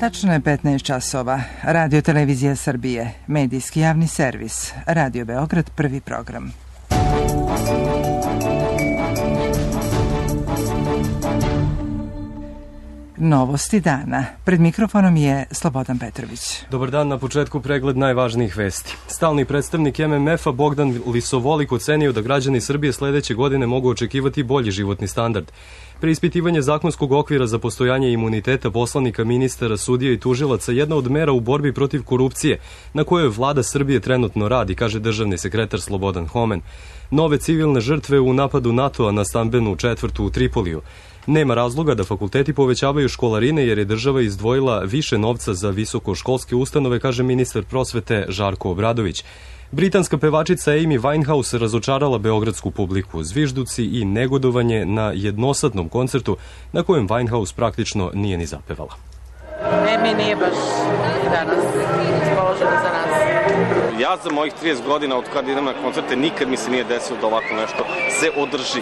Tačno je 15 časova. Radio Televizija Srbije, medijski javni servis, Radio Beograd, prvi program. Novosti dana. Pred mikrofonom je Slobodan Petrović. Dobar dan, na početku pregled najvažnijih vesti. Stalni predstavnik MMF-a Bogdan Lisovolik ocenio da građani Srbije sledeće godine mogu očekivati bolji životni standard. Preispitivanje zakonskog okvira za postojanje imuniteta poslanika, ministara, sudija i tužilaca jedna od mera u borbi protiv korupcije, na kojoj vlada Srbije trenutno radi, kaže državni sekretar Slobodan Homen. Nove civilne žrtve u napadu NATO-a na stambenu četvrtu u Tripoliju. Nema razloga da fakulteti povećavaju školarine jer je država izdvojila više novca za visokoškolske ustanove, kaže ministar prosvete Žarko Obradović. Britanska pevačica Amy Winehouse razočarala beogradsku publiku, zvižduci i negodovanje na jednosadnom koncertu na kojem Winehouse praktično nije ni zapevala. Amy nije baš danas raspoložena za nas. Ja za mojih 30 godina od kada idem na koncerte nikad mi se nije desilo da ovako nešto se održi.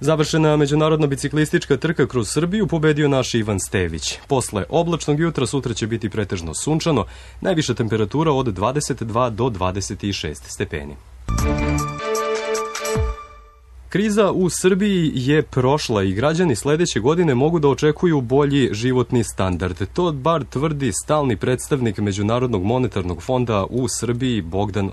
Završena međunarodna biciklistička trka kroz Srbiju, pobedio naš Ivan Stević. Posle oblačnog jutra sutra će biti pretežno sunčano, najviša temperatura od 22 do 26 stepeni. Kriza u Srbiji je prošla i građani sledeće godine mogu da očekuju bolji životni standard. To bar tvrdi stalni predstavnik Međunarodnog monetarnog fonda u Srbiji Bogdan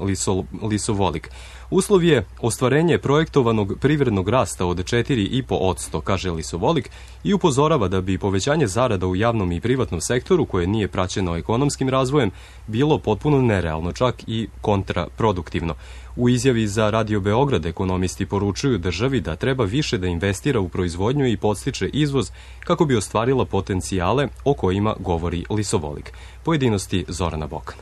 Lisovolik. Uslov je ostvarenje projektovanog privrednog rasta od 4,5%, kaže Lisovolik, i upozorava da bi povećanje zarada u javnom i privatnom sektoru, koje nije praćeno ekonomskim razvojem, bilo potpuno nerealno, čak i kontraproduktivno. U izjavi za Radio Beograd ekonomisti poručuju državi da treba više da investira u proizvodnju i podstiče izvoz kako bi ostvarila potencijale o kojima govori Lisovolik. Pojedinosti Zorana Bokan.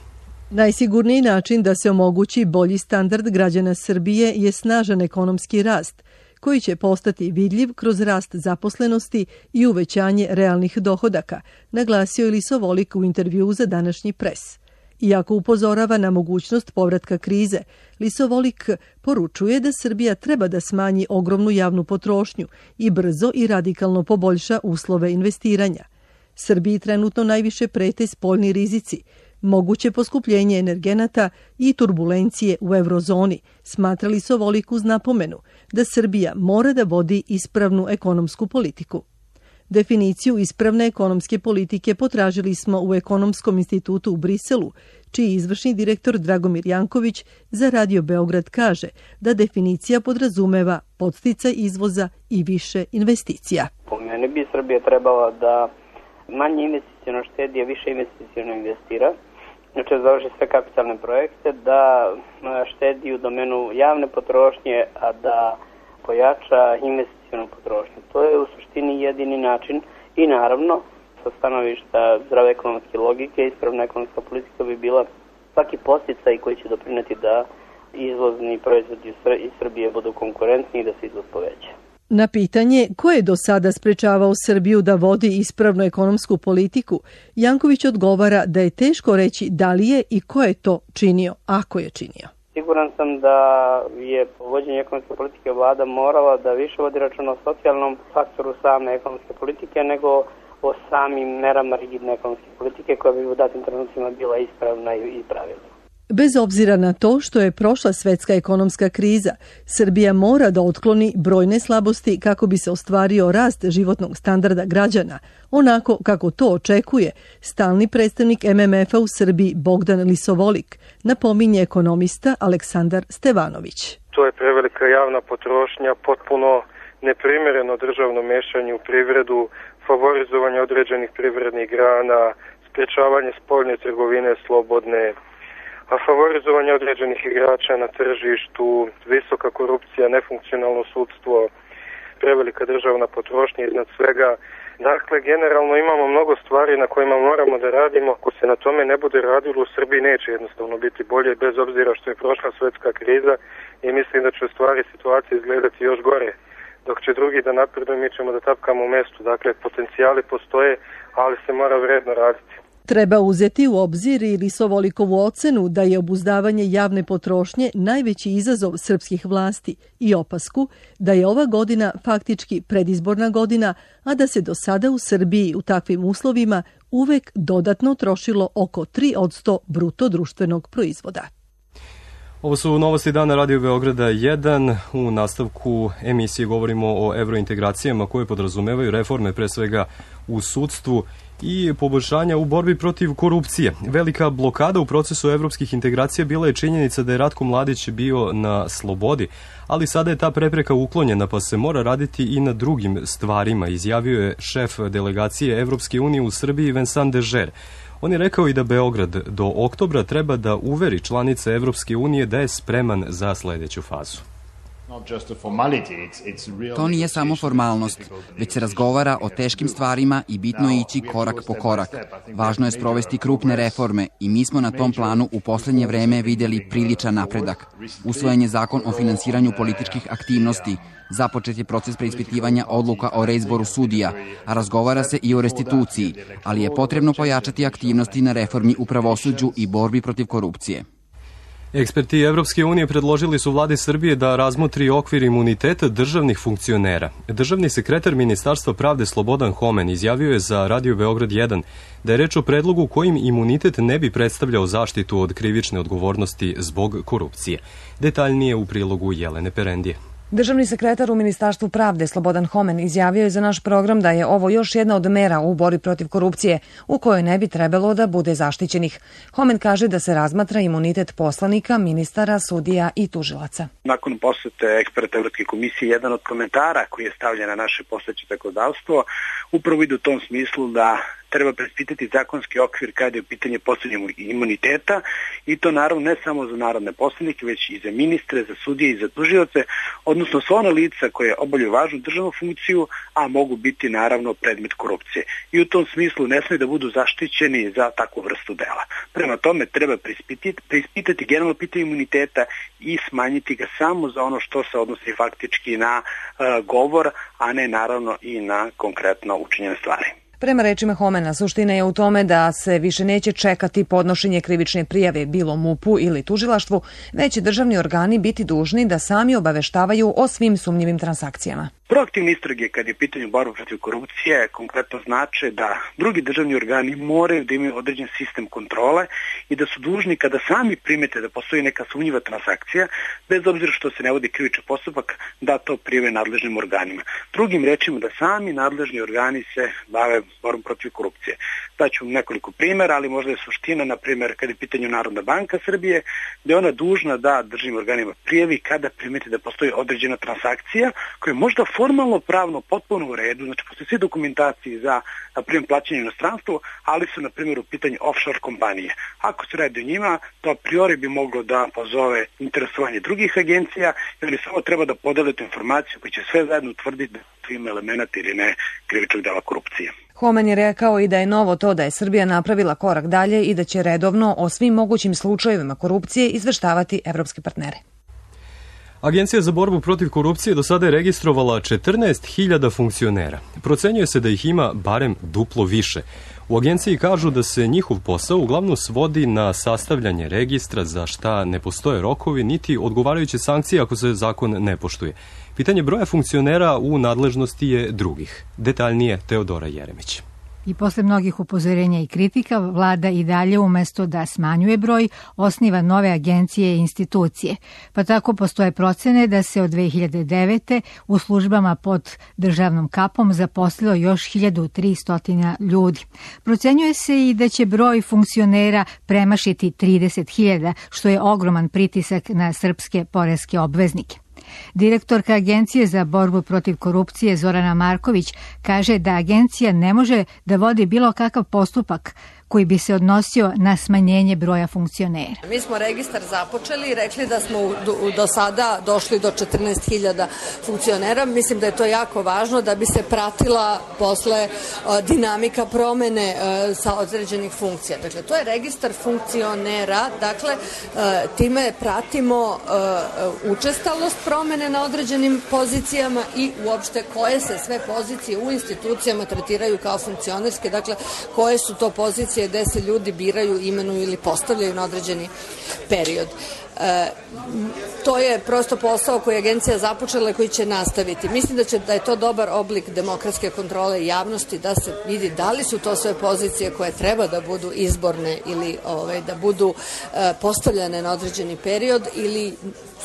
Najsigurniji način da se omogući bolji standard građana Srbije je snažan ekonomski rast, koji će postati vidljiv kroz rast zaposlenosti i uvećanje realnih dohodaka, naglasio je Lisovolik u intervjuu za današnji pres. Iako upozorava na mogućnost povratka krize, Lisovolik poručuje da Srbija treba da smanji ogromnu javnu potrošnju i brzo i radikalno poboljša uslove investiranja. Srbiji trenutno najviše prete spoljni rizici, moguće poskupljenje energenata i turbulencije u eurozoni, smatra Lisovolik uz napomenu da Srbija mora da vodi ispravnu ekonomsku politiku. Definiciju ispravne ekonomske politike potražili smo u Ekonomskom institutu u Briselu, čiji izvršni direktor Dragomir Janković za Radio Beograd kaže da definicija podrazumeva podsticaj izvoza i više investicija. Po meni bi Srbija trebala da manje investiciono štedi, a više investiciono investira. Znači da završi sve kapitalne projekte, da štedi u domenu javne potrošnje, a da pojača investicionu potrošnju. To je u suštini jedini način i naravno sa stanovišta zdrave ekonomske logike, ispravna ekonomska politika bi bila svaki podsticaj koji će doprineti da izvozni proizvodi iz Srbije budu konkurentni i da se izvoz poveća. Na pitanje ko je do sada sprečavao Srbiju da vodi ispravnu ekonomsku politiku, Janković odgovara da je teško reći da li je i ko je to činio, ako je činio. Siguran sam da je po vođenju ekonomske politike vlada morala da više vodi računa o socijalnom faktoru same ekonomske politike nego o samim merama rigidne ekonomske politike koja bi u datim trenucima bila ispravna i pravilna. Bez obzira na to što je prošla svetska ekonomska kriza, Srbija mora da otkloni brojne slabosti kako bi se ostvario rast životnog standarda građana, onako kako to očekuje stalni predstavnik MMF-a u Srbiji Bogdan Lisovolik, napominje ekonomista Aleksandar Stevanović. To je prevelika javna potrošnja, potpuno neprimereno državno mešanje u privredu, favorizovanje određenih privrednih grana, sprečavanje spoljne trgovine slobodne, a favorizovanje određenih igrača na tržištu, visoka korupcija, nefunkcionalno sudstvo, prevelika državna potrošnja iznad svega. Dakle, generalno imamo mnogo stvari na kojima moramo da radimo. Ako se na tome ne bude radilo, u Srbiji neće jednostavno biti bolje, bez obzira što je prošla svetska kriza i mislim da će u stvari situacija izgledati još gore. Dok će drugi da napreduju, mi ćemo da tapkamo u mestu. Dakle, potencijali postoje, ali se mora vredno raditi. Treba uzeti u obzir i Lisovolikovu ocenu da je obuzdavanje javne potrošnje najveći izazov srpskih vlasti i opasku da je ova godina faktički predizborna godina, a da se do sada u Srbiji u takvim uslovima uvek dodatno trošilo oko 3% bruto društvenog proizvoda. Ovo su novosti dana Radio Beograda 1. U nastavku emisije govorimo o evrointegracijama koje podrazumevaju reforme pre svega u sudstvu i poboljšanja u borbi protiv korupcije. Velika blokada u procesu evropskih integracija bila je činjenica da je Ratko Mladić bio na slobodi, ali sada je ta prepreka uklonjena pa se mora raditi i na drugim stvarima, izjavio je šef delegacije Evropske unije u Srbiji Vincent Dežer. On je rekao i da Beograd do oktobra treba da uveri članice Evropske unije da je spreman za sledeću fazu. To nije samo formalnost, već se razgovara o teškim stvarima i bitno je ići korak po korak. Važno je sprovesti krupne reforme i mi smo na tom planu u poslednje vreme videli priličan napredak. Usvojen je zakon o finansiranju političkih aktivnosti, započet je proces preispitivanja odluka o reizboru sudija, a razgovara se i o restituciji, ali je potrebno pojačati aktivnosti na reformi u pravosuđu i borbi protiv korupcije. Eksperti Evropske unije predložili su vladi Srbije da razmotri okvir imuniteta državnih funkcionera. Državni sekretar Ministarstva pravde Slobodan Homen izjavio je za Radio Beograd 1 da je reč o predlogu kojim imunitet ne bi predstavljao zaštitu od krivične odgovornosti zbog korupcije. Detaljnije u prilogu Jelene Perendije. Državni sekretar u Ministarstvu pravde Slobodan Homen izjavio je za naš program da je ovo još jedna od mera u borbi protiv korupcije u kojoj ne bi trebalo da bude zaštićenih. Homen kaže da se razmatra imunitet poslanika, ministara, sudija i tužilaca. Nakon posete eksperta Evropske komisije, jedan od komentara koji je stavljen na naše postojeće zakonodavstvo upravo ide u tom smislu da treba preispitati zakonski okvir kada je u pitanje postojanja imuniteta i to naravno ne samo za narodne poslanike, već i za ministre, za sudije i za tužioce, odnosno sva ona lica koje obavljaju važnu državnu funkciju, a mogu biti naravno predmet korupcije. I u tom smislu ne smije da budu zaštićeni za takvu vrstu dela. Prema tome treba preispitati generalno pitanje imuniteta i smanjiti ga samo za ono što se odnosi faktički na govor, a ne naravno i na konkretno učinjene stvari. Prema rečima Homena, suština je u tome da se više neće čekati podnošenje krivične prijave bilo MUP-u ili tužilaštvu, već će državni organi biti dužni da sami obaveštavaju o svim sumnjivim transakcijama. Proaktivne istrage kad je pitanje borbe protiv korupcije konkretno znače da drugi državni organi moraju da imaju određen sistem kontrole i da su dužni kada sami primete da postoji neka sumnjiva transakcija, bez obzira što se ne vodi krivični postupak, da to prijave nadležnim organima. Drugim rečima da sami nadležni organi se bave borbom protiv korupcije. Daću nekoliko primjera, ali možda je suština, na primjer, kada je pitanje Narodna banka Srbije, da je ona dužna da državnim organima prijavi kada primete da postoji određena transakcija koja je možda formalno pravno potpuno u redu, znači postoje sve dokumentacije za, na primjer, plaćanje u inostranstvu, ali su, na primjer, u pitanju offshore kompanije. Ako se radi o njima, to a priori bi moglo da pozove interesovanje drugih agencija, ili samo treba da podele tu informaciju koja će sve zajedno utvrditi da ima elemenata ili ne krivičnog dela korupcije. Homen je rekao i da je novo to da je Srbija napravila korak dalje i da će redovno o svim mogućim slučajevima korupcije izveštavati evropske partnere. Agencija za borbu protiv korupcije do sada je registrovala 14.000 funkcionera. Procenjuje se da ih ima barem duplo više. U agenciji kažu da se njihov posao uglavnom svodi na sastavljanje registra za šta ne postoje rokovi niti odgovarajuće sankcije ako se zakon ne poštuje. Pitanje broja funkcionera u nadležnosti je drugih. Detaljnije Teodora Jeremić. I posle mnogih upozorenja i kritika, vlada i dalje umesto da smanjuje broj, osniva nove agencije i institucije. Pa tako postoje procene da se od 2009. u službama pod državnom kapom zaposlilo još 1300 ljudi. Procenjuje se i da će broj funkcionera premašiti 30.000, što je ogroman pritisak na srpske poreske obveznike. Direktorka Agencije za borbu protiv korupcije Zorana Marković kaže da agencija ne može da vodi bilo kakav postupak koji bi se odnosio na smanjenje broja funkcionera. Mi smo registar započeli i rekli da smo do sada došli do 14.000 funkcionera. Mislim da je to jako važno da bi se pratila posle dinamika promene sa određenih funkcija. Dakle, to je registar funkcionera. Dakle, time pratimo učestalost promene na određenim pozicijama i uopšte koje se sve pozicije u institucijama tretiraju kao funkcionerske. Dakle, koje su to pozicije institucije gde se ljudi biraju, imenuju ili postavljaju na određeni period. To je prosto posao koji je agencija započela i koji će nastaviti. Mislim da je to dobar oblik demokratske kontrole javnosti, da se vidi da li su to sve pozicije koje treba da budu izborne ili da budu postavljene na određeni period ili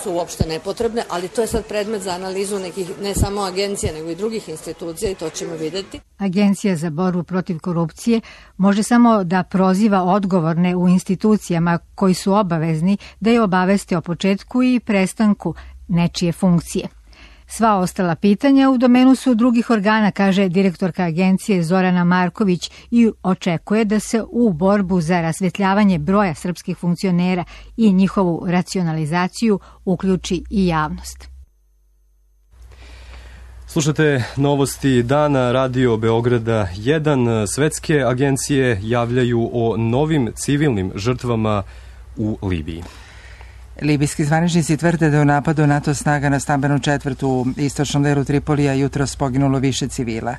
su uopšte nepotrebne, ali to je sad predmet za analizu nekih, ne samo agencija, nego i drugih institucija i to ćemo videti. Agencija za borbu protiv korupcije može samo da proziva odgovorne u institucijama koji su obavezni da je obaveste o početku i prestanku nečije funkcije. Sva ostala pitanja u domenu su drugih organa, kaže direktorka agencije Zorana Marković i očekuje da se u borbu za rasvetljavanje broja srpskih funkcionera i njihovu racionalizaciju uključi i javnost. Slušate novosti dana Radio Beograda 1. Svetske agencije javljaju o novim civilnim žrtvama u Libiji. Libijski zvaničnici tvrde da je u napadu NATO snaga na stambenu četvrt u istočnom delu Tripolija jutros poginulo više civila.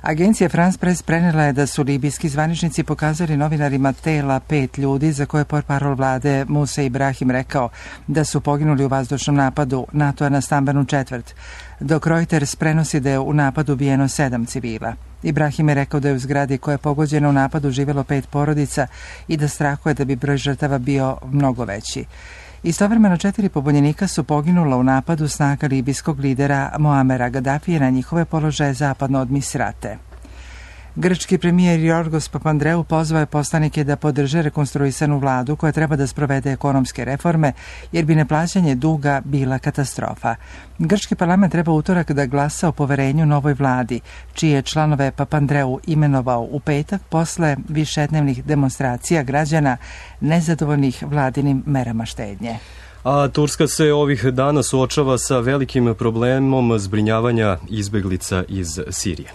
Agencija France Press prenela je da su libijski zvaničnici pokazali novinarima tela 5 ljudi za koje portparol vlade Musa Ibrahim rekao da su poginuli u vazdušnom napadu NATO-a na stambenu četvrt, dok Reuters prenosi da je u napadu ubijeno 7 civila. Ibrahim je rekao da je u zgradi koja je pogođena u napadu živjelo 5 porodica i da strahuje da bi broj žrtava bio mnogo veći. Istovremeno 4 pobunjenika su poginula u napadu snaga libijskog lidera Muamera Gaddafija na njihove položaje zapadno od Misrate. Grčki premijer Jorgos Papandreou pozvao je poslanike da podrže rekonstruisanu vladu koja treba da sprovede ekonomske reforme, jer bi neplaćanje duga bila katastrofa. Grčki parlament treba utorak da glasa o poverenju novoj vladi, čije članove Papandreou imenovao u petak posle višednevnih demonstracija građana nezadovoljnih vladinim merama štednje. A Turska se ovih dana suočava sa velikim problemom zbrinjavanja izbeglica iz Sirije.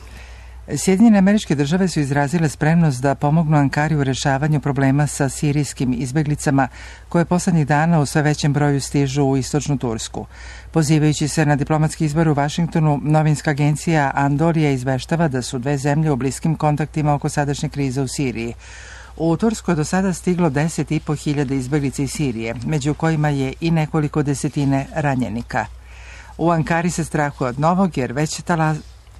Sjedinjene Američke Države su izrazile spremnost da pomognu Ankari u rešavanju problema sa sirijskim izbeglicama koje poslednjih dana u sve većem broju stižu u istočnu Tursku. Pozivajući se na diplomatski izbor u Vašingtonu, novinska agencija Andorija izveštava da su dve zemlje u bliskim kontaktima oko sadašnje krize u Siriji. U Tursku je do sada stiglo 10.500 izbeglica iz Sirije, među kojima je i nekoliko desetine ranjenika. U Ankari se strahuje od novog, jer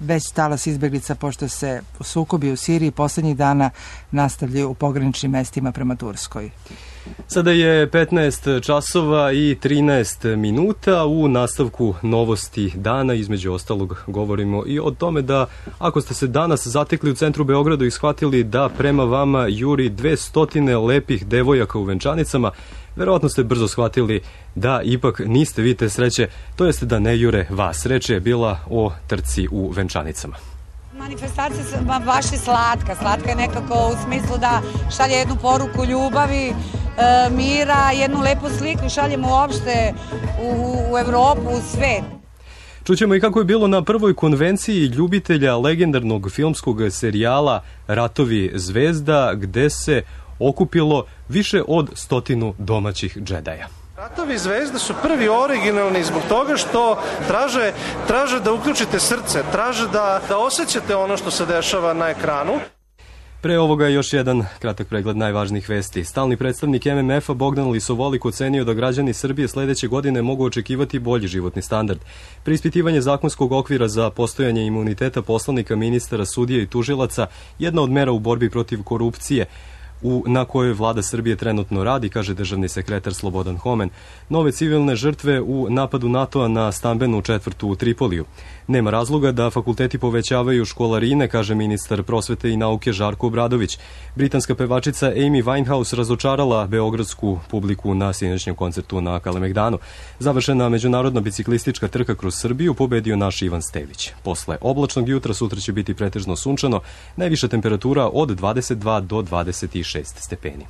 već talas izbeglica, pošto se sukobi u Siriji poslednjih dana nastavljaju u pograničnim mestima prema Turskoj. Sada je 15 časova i 13 minuta. U nastavku novosti dana, između ostalog, govorimo i o tome da ako ste se danas zatekli u centru Beogradu i shvatili da prema vama juri 200 lepih devojaka u venčanicama, verovatno ste brzo shvatili da ipak niste vi te sreće, to jeste da ne jure vas. Reč je bila o trci u venčanicama. Manifestacija baš je slatka. Slatka je nekako u smislu da šalje jednu poruku ljubavi, mira, jednu lepu sliku šaljemo uopšte u Evropu, u svet. Čućemo i kako je bilo na prvoj konvenciji ljubitelja legendarnog filmskog serijala Ratovi zvezda, gde se okupilo više od 100 domaćih džedaja. Ratovi zvezde su prvi originalni zbog toga što traže da uključite srce, traže da osjećate ono što se dešava na ekranu. Pre ovoga još jedan kratak pregled najvažnijih vesti. Stalni predstavnik MMF-a Bogdan Lisovolik ocenio da građani Srbije sledeće godine mogu očekivati bolji životni standard. Preispitivanje zakonskog okvira za postojanje imuniteta poslanika, ministara, sudija i tužilaca jedna od mera u borbi protiv korupcije na kojoj vlada Srbije trenutno radi, kaže državni sekretar Slobodan Homen. Nove civilne žrtve u napadu NATO-a na stambenu četvrtu u Tripoliju. Nema razloga da fakulteti povećavaju školarine, kaže ministar prosvete i nauke Žarko Obradović. Britanska pevačica Amy Winehouse razočarala beogradsku publiku na sinoćnjem koncertu na Kalemegdanu. Završena međunarodna biciklistička trka kroz Srbiju pobedio naš Ivan Stević. Posle oblačnog jutra sutra će biti pretežno sunčano, najviša temperatura od 22 do 26 stepeni.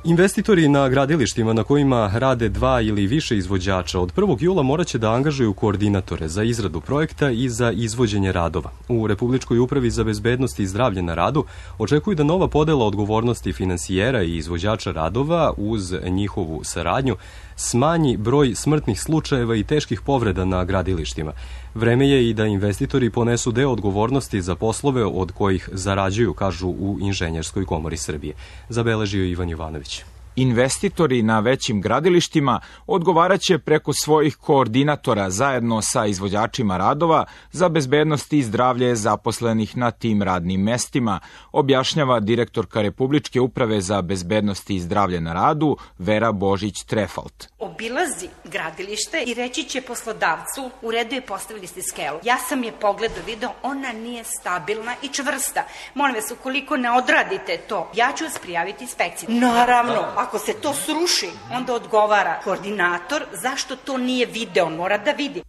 Investitori na gradilištima na kojima rade 2 ili više izvođača od 1. jula moraće da angažuju koordinatore za izradu projekta i za izvođenje radova. U Republičkoj upravi za bezbednost i zdravlje na radu očekuju da nova podela odgovornosti finansijera i izvođača radova uz njihovu saradnju smanji broj smrtnih slučajeva i teških povreda na gradilištima. Vreme je i da investitori ponesu deo odgovornosti za poslove od kojih zarađuju, kažu u Inženjerskoj komori Srbije. Zabeležio Ivan Jovanović. Investitori na većim gradilištima odgovaraće preko svojih koordinatora zajedno sa izvođačima radova za bezbednost i zdravlje zaposlenih na tim radnim mestima, objašnjava direktorka Republičke uprave za bezbednost i zdravlje na radu Vera Božić-Trefalt. Obilazi gradilište i reći će poslodavcu, u redu je, postavili ste skelu. Ja sam je pogledao, video, ona nije stabilna i čvrsta. Molim vas, ukoliko ne odradite to, ja ću vas prijaviti inspekciji. Naravno, ako se to sruši, onda odgovara koordinator zašto to nije video, on mora da vidi.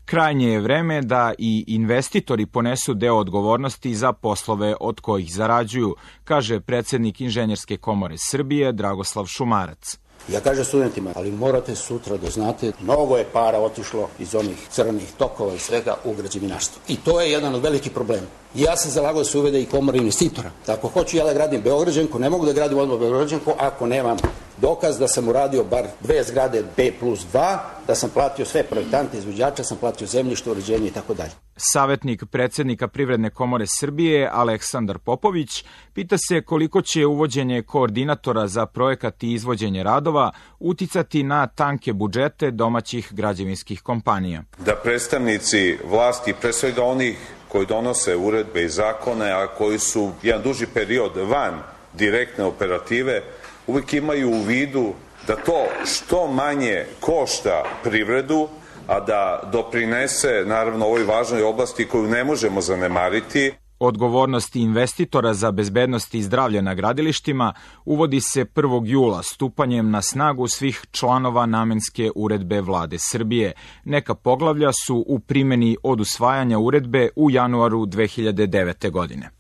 Krajnje je vreme da i investitori ponesu deo odgovornosti za poslove od kojih zarađuju, kaže predsednik Inženjerske komore Srbije Dragoslav Šumarac. Ja kažem studentima, ali morate sutra da znate, mnogo je para otišlo iz onih crnih tokova i svega u građevinarstvo. I to je jedan od velikih problema. Ja sam zalagao da se uvede i komora investitora. Tako hoću ja da gradim Beograđanku, ne mogu da gradim odmah Beograđanku ako nemam dokaz da sam uradio bar 2 zgrade B+2, da sam platio sve projektante, izvođača, sam platio zemljište, uređenje i tako dalje. Savetnik predsednika Privredne komore Srbije Aleksandar Popović pita se koliko će uvođenje koordinatora za projekat i izvođenje radova uticati na tanke budžete domaćih građevinskih kompanija. Da predstavnici vlasti, pre svega onih koji donose uredbe i zakone, a koji su jedan duži period van direktne operative, uvijek imaju u vidu da to što manje košta privredu, a da doprinese, naravno, ovoj važnoj oblasti koju ne možemo zanemariti. Odgovornost investitora za bezbednost i zdravlje na gradilištima uvodi se 1. jula stupanjem na snagu svih članova namenske uredbe Vlade Srbije. Neka poglavlja su u primjeni od usvajanja uredbe u januaru 2009. godine.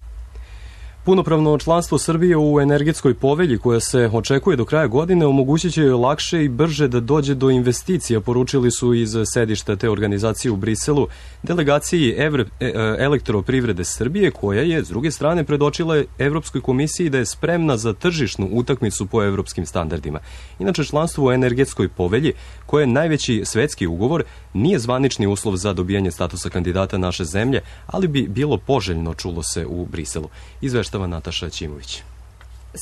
Punopravno članstvo Srbije u energetskoj povelji koja se očekuje do kraja godine omogućit će lakše i brže da dođe do investicija, poručili su iz sedišta te organizacije u Briselu delegaciji Elektroprivrede Srbije, koja je s druge strane predočila Evropskoj komisiji da je spremna za tržišnu utakmicu po evropskim standardima. Inače, članstvo u energetskoj povelji, koje je najveći svetski ugovor, nije zvanični uslov za dobijanje statusa kandidata naše zemlje, ali bi bilo poželjno, čulo se u Briselu. Izveštava Nataša Ćimović.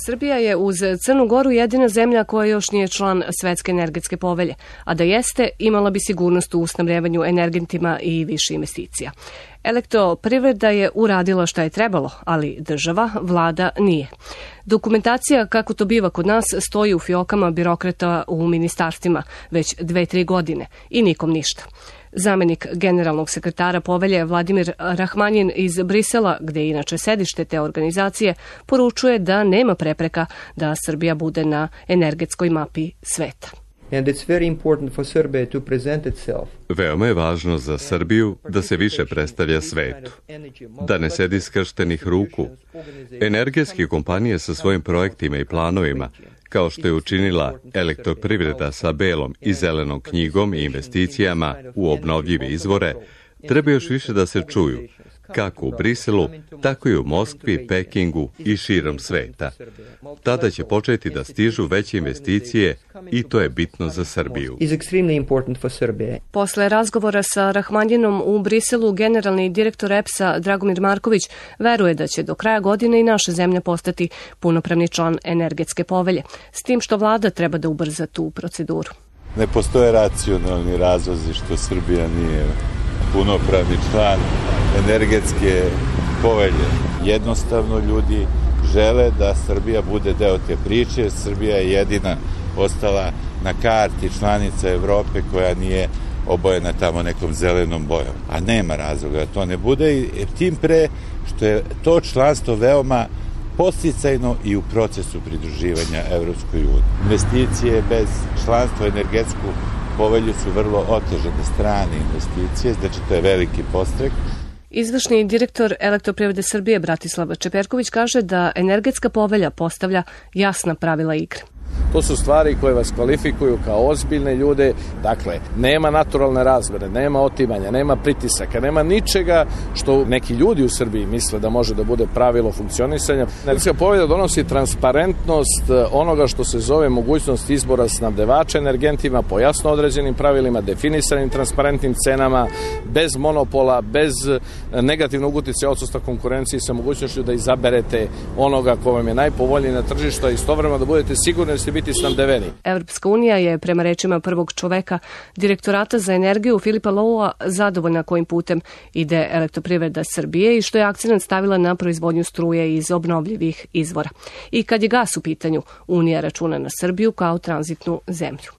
Srbija je uz Crnu Goru jedina zemlja koja još nije član Svetske energetske povelje, a da jeste, imala bi sigurnost u snabdevanju energentima i više investicija. Elektroprivreda je uradila šta je trebalo, ali država, vlada nije. Dokumentacija, kako to biva kod nas, stoji u fiokama birokrata u ministarstvima već 2-3 godine i nikom ništa. Zamenik generalnog sekretara povelje Vladimir Rahmanjin iz Brisela, gde je inače sedište te organizacije, poručuje da nema prepreka da Srbija bude na energetskoj mapi sveta. Veoma je važno za Srbiju da se više predstavlja svetu, da ne sedi skrštenih ruku. Energetske kompanije sa svojim projektima i planovima, kao što je učinila Elektroprivreda sa belom i zelenom knjigom i investicijama u obnovljive izvore, treba još više da se čuju, kako u Briselu, tako i u Moskvi, Pekingu i širom sveta. Tada će početi da stižu veće investicije i to je bitno za Srbiju. Posle razgovora sa Rahmanjinom u Briselu, generalni direktor EPS-a Dragomir Marković veruje da će do kraja godine i naša zemlja postati punopravni član energetske povelje, s tim što vlada treba da ubrza tu proceduru. Ne postoje racionalni razlozi što Srbija nije punopravni član energetske povelje. Jednostavno ljudi žele da Srbija bude deo te priče, jer Srbija je jedina ostala na karti članica Evrope koja nije obojena tamo nekom zelenom bojom. A nema razloga da to ne bude, i tim pre što je to članstvo veoma podsticajno i u procesu pridruživanja Evropskoj uniji. Investicije bez članstva u energetsku povelju su vrlo otežane strane investicije, znači to je veliki podstrek. Izvršni direktor Elektroprivrede Srbije Bratislav Čeperković kaže da energetska povelja postavlja jasna pravila igre. To su stvari koje vas kvalifikuju kao ozbiljne ljude. Dakle, nema naturalne razmere, nema otimanja, nema pritisaka, nema ničega što neki ljudi u Srbiji misle da može da bude pravilo funkcionisanja. Energetska povelja donosi transparentnost onoga što se zove mogućnost izbora snabdevača energentima po jasno određenim pravilima, definisanim transparentnim cenama, bez monopola, bez negativnog uticaja odsustva konkurencije, sa mogućnošću da izaberete onoga ko vam je najpovoljniji na tržištu, a istovremeno da budete sigurni da ćete biti snabdeveni. Evropska unija je, prema rečima prvog čoveka Direktorata za energiju Filipa Loua, zadovoljna kojim putem ide Elektroprivreda Srbije i što je akcenat stavila na proizvodnju struje iz obnovljivih izvora. I kad je gas u pitanju, Unija računa na Srbiju kao tranzitnu zemlju.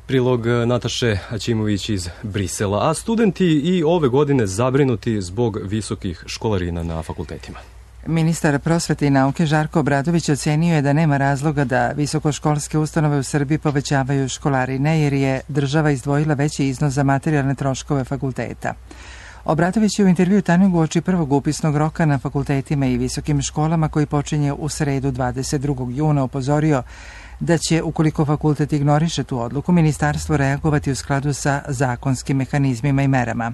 Prilog Nataše Aćimović iz Brisela, a studenti i ove godine zabrinuti zbog visokih školarina na fakultetima. Ministar prosvete i nauke Žarko Obradović ocenio je da nema razloga da visokoškolske ustanove u Srbiji povećavaju školarine jer je država izdvojila veći iznos za materijalne troškove fakulteta. Obradović je u intervju Tanjug uoči prvog upisnog roka na fakultetima i visokim školama koji počinje u sredu 22. juna upozorio da će, ukoliko fakultet ignoriše tu odluku, ministarstvo reagovati u skladu sa zakonskim mehanizmima i merama.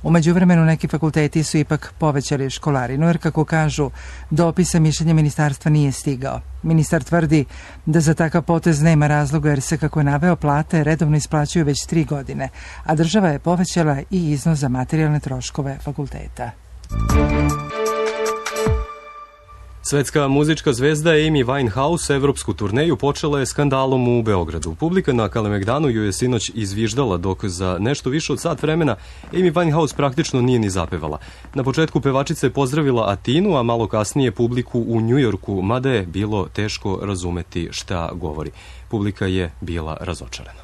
U međuvremenu neki fakulteti su ipak povećali školarinu, jer kako kažu, do opisa mišljenja ministarstva nije stigao. Ministar tvrdi da za takav potez nema razloga jer se, kako je naveo, plate redovno isplaćuju već 3 godine, a država je povećala i iznos za materijalne troškove fakulteta. Svetska muzička zvezda Amy Winehouse evropsku turneju počela je skandalom u Beogradu. Publika na Kalemegdanu ju je sinoć izviždala, dok za nešto više od sat vremena Amy Winehouse praktično nije ni zapevala. Na početku pevačica je pozdravila Atinu, a malo kasnije publiku u Njujorku, mada je bilo teško razumeti šta govori. Publika je bila razočarana.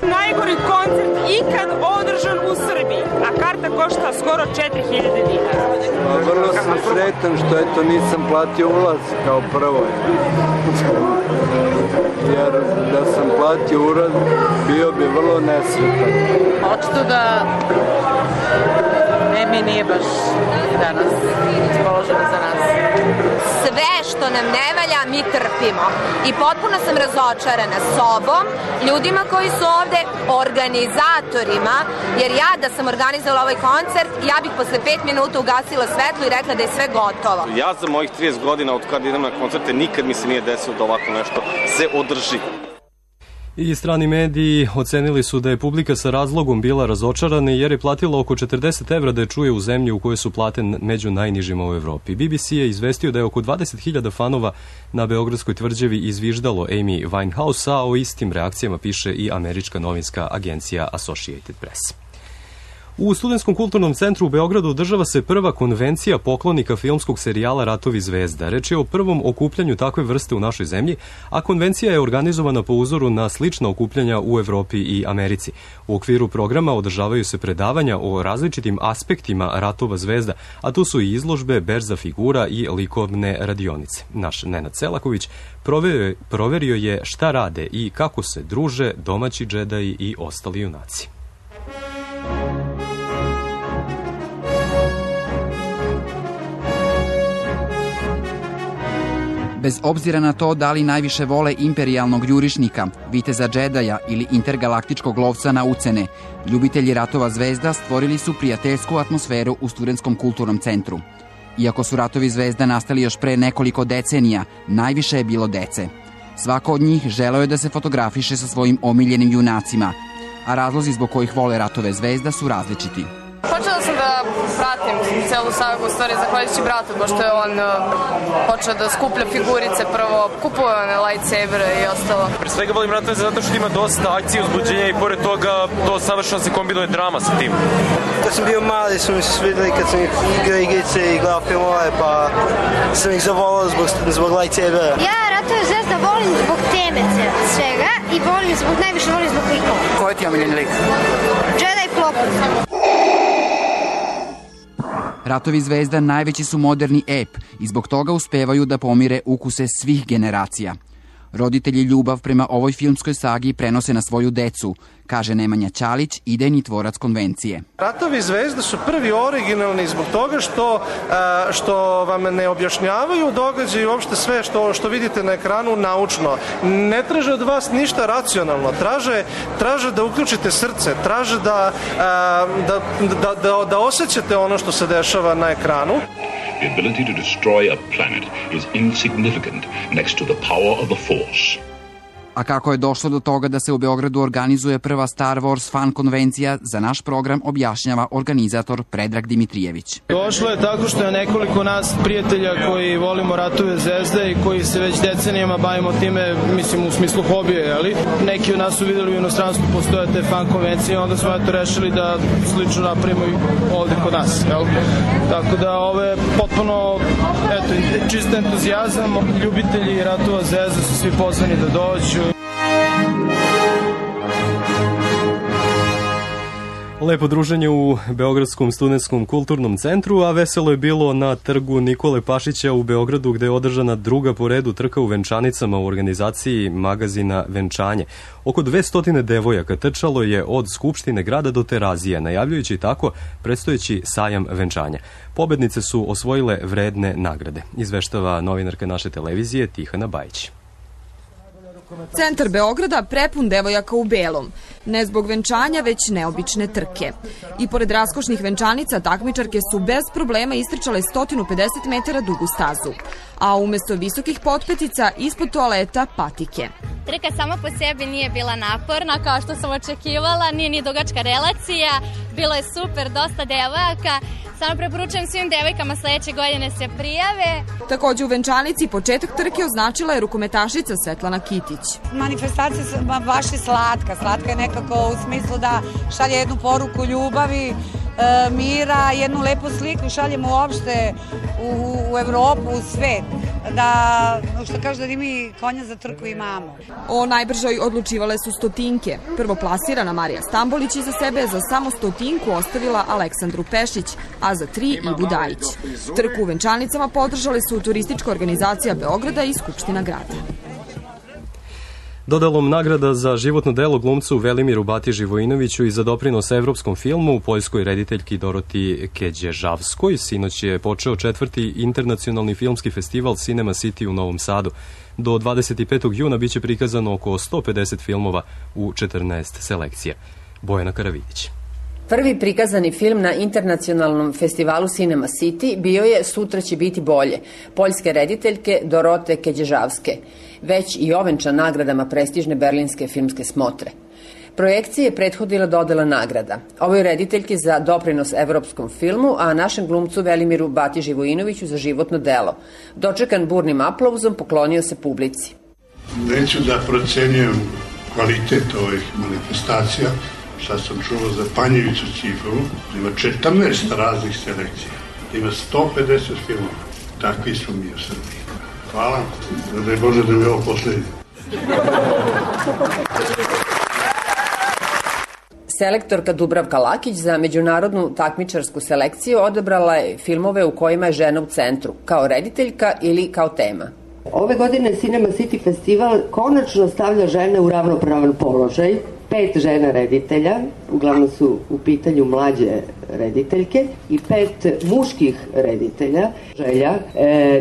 Najgori koncert ikad održan u Srbiji, a karta košta skoro 4.000 dinara. Vrlo sam sretan što eto nisam platio ulaz kao prvo. Jer da sam platio ulaz bio bi vrlo nesretan. Očito da Emi nije baš danas raspoložena za nas. Sve što nam ne valja mi trpimo i potpuno sam razočarana sobom, ljudima koji su ovde, organizatorima, jer ja da sam organizovala ovaj koncert, ja bih posle 5 minuta ugasila svetlo i rekla da je sve gotovo. Ja za mojih 30 godina od kada idem na koncerte nikad mi se nije desilo da ovako nešto se održi. I strani mediji ocenili su da je publika sa razlogom bila razočarana jer je platila oko 40 evra da je čuje u zemlji u kojoj su plate među najnižima u Evropi. BBC je izvestio da je oko 20.000 fanova na Beogradskoj tvrđavi izviždalo Amy Winehouse, a o istim reakcijama piše i američka novinska agencija Associated Press. U Studentskom kulturnom centru u Beogradu održava se prva konvencija poklonika filmskog serijala Ratovi zvezda. Reč je o prvom okupljanju takve vrste u našoj zemlji, a konvencija je organizovana po uzoru na slična okupljanja u Evropi i Americi. U okviru programa održavaju se predavanja o različitim aspektima Ratova zvezda, a tu su i izložbe, berza figura i likovne radionice. Naš Nenad Selaković proverio je šta rade i kako se druže domaći džedaji i ostali junaci. Bez obzira na to da li najviše vole imperijalnog jurišnika, viteza džedaja ili intergalaktičkog lovca na ucene, ljubitelji Ratova zvezda stvorili su prijateljsku atmosferu u Studentskom kulturnom centru. Iako su Ratovi zvezda nastali još pre nekoliko decenija, najviše je bilo dece. Svako od njih želeo je da se fotografiše sa svojim omiljenim junacima, a razlozi zbog kojih vole Ratove zvezda su različiti. Počela sam da pratim celu sagu, u stvari zahvaljujući bratu, pošto je on počeo da skuplja figurice prvo, kupuje one lightsabere i ostalo. Pre svega volim Ratove zato što ima dosta akcije, uzbuđenja i pored toga to savršeno se kombinuje drama sa tim. Kad sam bio mali su mi se svideli kad sam igrao igrice i gledao filmove, pa sam ih zavolao zbog lightsabera. Ja Ratove zvezda volim zbog teme svega i najviše volim zbog likova. Koji ti je omiljeni lik? Jedi Plopon. Ratovi zvezda najveći su moderni ep i zbog toga uspevaju da pomire ukuse svih generacija. Roditelji ljubav prema ovoj filmskoj sagi prenose na svoju decu, kaže Nemanja Ćalić, idejni tvorac konvencije. Ratovi zvezda su prvi originalni zbog toga što vam ne objašnjavaju događaj i uopšte sve što vidite na ekranu naučno. Ne traže od vas ništa racionalno, traže da uključite srce, traže da osjećate ono što se dešava na ekranu. The ability to destroy a planet is insignificant next to the power of the Force. A kako je došlo do toga da se u Beogradu organizuje prva Star Wars fan konvencija, za naš program objašnjava organizator Predrag Dimitrijević. Došlo je tako što je nekoliko nas prijatelja koji volimo ratove zvezde i koji se već decenijama bavimo time, mislim u smislu hobije, ali neki od nas su videli u inostranstvu postoje te fan konvencije, onda smo rešili da slično napravimo i ovde kod nas. Jel? Tako da ovo je potpuno čist entuzijazam, ljubitelji ratova zvezde su svi pozvani da dođu. Lepo druženje u Beogradskom studentskom kulturnom centru, a veselo je bilo na trgu Nikole Pašića u Beogradu, gde je održana druga po redu trka u venčanicama u organizaciji magazina Venčanje. Oko 200 devojaka trčalo je od Skupštine grada do Terazije, najavljujući tako predstojeći sajam venčanja. Pobednice su osvojile vredne nagrade, izveštava novinarka naše televizije Tihana Bajić. Centar Beograda prepun devojaka u belom. Ne zbog venčanja, već neobične trke. I pored raskošnih venčanica, takmičarke su bez problema istrčale 150 metara dugu stazu. A umesto visokih potpetica, ispod toaleta patike. Trka sama po sebi nije bila naporna, kao što sam očekivala, nije ni dugačka relacija, bilo je super, dosta devojaka. Samo preporučujem svim devojkama sledeće godine se prijave. Takođe u venčanici početak trke označila je rukometašica Svetlana Kitić. Manifestacija baš je slatka. Slatka je nekako u smislu da šalje jednu poruku ljubavi, mira, jednu lepu sliku šaljemo uopšte u Evropu, u svet. Što kaže da mi konja za trku imamo. O najbržoj odlučivale su stotinke. Prvoplasirana Marija Stambolić iza sebe za samo stotinku ostavila Aleksandru Pešić, a za 3 Ivu Dajić. Trku u venčanicama podržale su turistička organizacija Beograda i Skupština grada. Dodalom nagrada za životno delo glumcu Velimiru Batiži Vojinoviću i za doprinos evropskom filmu u poljskoj rediteljki Doroti Keđežavskoj sinoć je počeo 4. internacionalni filmski festival Cinema City u Novom Sadu. Do 25. juna biće prikazano oko 150 filmova u 14 selekcija. Bojana Karavidić. Prvi prikazani film na internacionalnom festivalu Cinema City bio je Sutra će biti bolje, poljske rediteljke Dorote Keđežavske, već i ovenčan nagradama prestižne berlinske filmske smotre. Projekcije je prethodila dodela nagrada. Ovoj rediteljki za doprinos evropskom filmu, a našem glumcu Velimiru Batiži Vojinoviću za životno delo. Dočekan burnim aplauzom, poklonio se publici. Neću da procenjujem kvalitet ovih manifestacija. Sad sam čuo za Panjevicu cifru, ima 14 raznih selekcija, ima 150 filmova. Takvi smo mi u Srbiji. Hvala, da je Bože da mi je ovo poslednje. Selektorka Dubravka Lakić za međunarodnu takmičarsku selekciju odabrala je filmove u kojima je žena u centru, kao rediteljka ili kao tema. Ove godine Cinema City festival konačno stavlja žene u ravnopravan položaj. 5 žena reditelja, uglavnom su u pitanju mlađe rediteljke, i 5 muških reditelja. Želja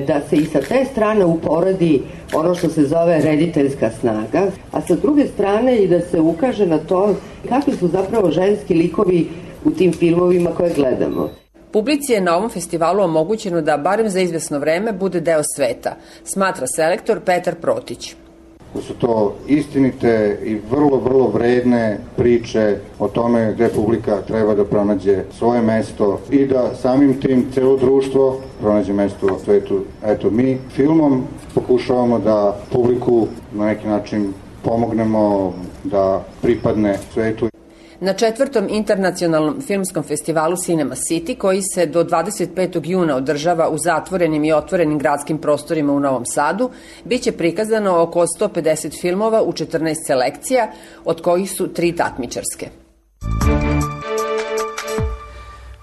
da se i sa te strane uporedi ono što se zove rediteljska snaga, a sa druge strane i da se ukaže na to kakvi su zapravo ženski likovi u tim filmovima koje gledamo. Publici je na ovom festivalu omogućeno da barem za izvesno vreme bude deo sveta, smatra selektor Petar Protić. Su to istinite i vrlo vredne priče o tome gde publika treba da pronađe svoje mesto i da samim tim celo društvo pronađe mesto u svetu. Eto, mi filmom pokušavamo da publiku na neki način pomognemo da pripadne svetu. Na 4. internacionalnom filmskom festivalu Cinema City, koji se do 25. juna održava u zatvorenim i otvorenim gradskim prostorima u Novom Sadu, biće prikazano oko 150 filmova u 14 selekcija, od kojih su 3 takmičarske.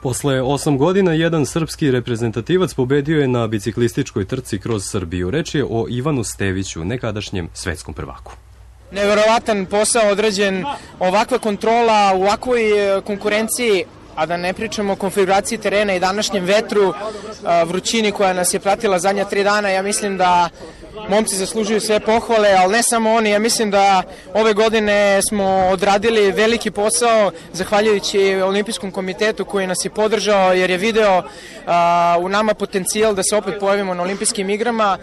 Posle 8 godina jedan srpski reprezentativac pobedio je na biciklističkoj trci kroz Srbiju. Reč je o Ivanu Steviću, nekadašnjem svetskom prvaku. Neverovatan posao odrađen, ovakva kontrola u ovakvoj konkurenciji, a da ne pričamo o konfiguraciji terena i današnjem vetru, vrućini koja nas je pratila zadnja 3 dana. Ja mislim da momci zaslužuju sve pohvale, ali ne samo oni. Ja mislim da ove godine smo odradili veliki posao zahvaljujući Olimpijskom komitetu koji nas je podržao, jer je video u nama potencijal da se opet pojavimo na olimpijskim igrama.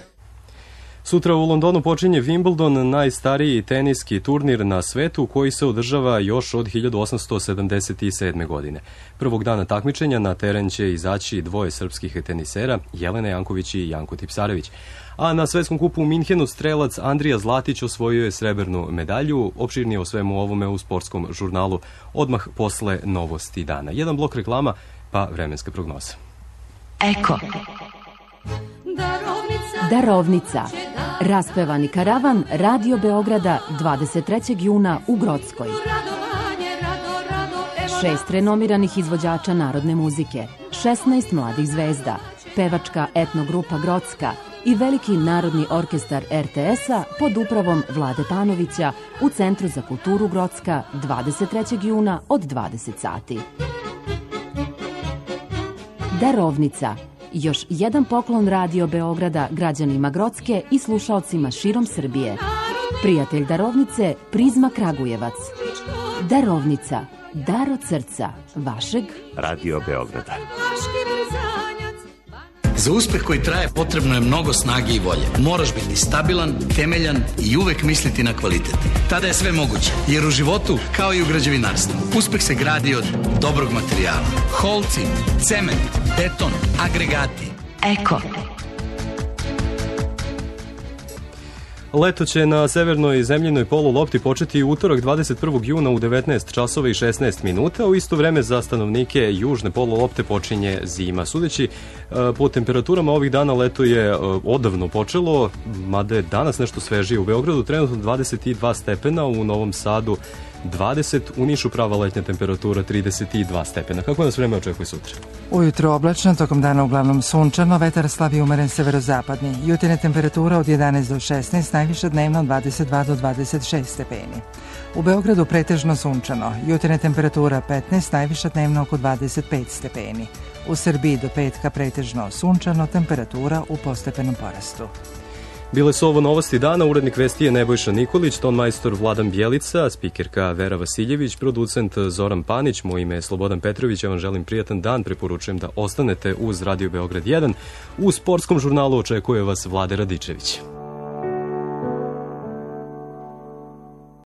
Sutra u Londonu počinje Wimbledon, najstariji teniski turnir na svetu koji se održava još od 1877. godine. Prvog dana takmičenja na teren će izaći dvoje srpskih tenisera, Jelena Janković i Janko Tipsarević. A na svetskom kupu u Minhenu strelac Andrija Zlatić osvojio je srebrnu medalju. Opširnije o svemu ovome u sportskom žurnalu odmah posle novosti dana. Jedan blok reklama, pa vremenska prognoza. Eko. Darovnica. Raspevani karavan Radio Beograda 23. juna u Grockoj. 6 renomiranih izvođača narodne muzike, 16 mladih zvezda, pevačka etnogrupa Grocka i veliki narodni orkestar RTS-a pod upravom Vlade Panovića u Centru za kulturu Grocka 23. juna od 20 sati. Darovnica. Još jedan poklon Radio Beograda građanima Grocke i slušaocima širom Srbije. Prijatelj Darovnice, Prizma Kragujevac. Darovnica. Dar od srca vašeg Radio Beograda. Za uspeh koji traje potrebno je mnogo snage i volje. Moraš biti stabilan, temeljan i uvek misliti na kvalitet. Tada je sve moguće, jer u životu, kao i u građevinarstvu, uspeh se gradi od dobrog materijala. Holci, cement, beton, agregati. Eko. Leto će na severnoj zemljinoj polulopti početi utorak 21. juna u 19 časova i 16 minuta. U isto vreme za stanovnike južne polulopte počinje zima. Sudeći po temperaturama ovih dana leto je odavno počelo, mada je danas nešto svežije. U Beogradu trenutno 22 stepena, u Novom Sadu 20, u Nišu prava letnja temperatura 32 stepena. Kako nas vreme očekuje sutra? Ujutro oblačno, tokom dana uglavnom sunčano, vetar slab i umeren severozapadni. Jutarnja temperatura od 11 do 16, najviša dnevno 22 do 26 stepeni. U Beogradu pretežno sunčano, jutarnja temperatura 15, najviša dnevno oko 25 stepeni. U Srbiji do petka pretežno sunčano, temperatura u postepenom porastu. Bile su ovo novosti dana, urednik vesti je Nebojša Nikolić, ton majstor Vladan Bjelica, spikerka Vera Vasiljević, producent Zoran Panić, moje ime je Slobodan Petrović, ja vam želim prijatan dan, preporučujem da ostanete uz Radio Beograd 1. U sportskom žurnalu očekuje vas Vlade Radičević.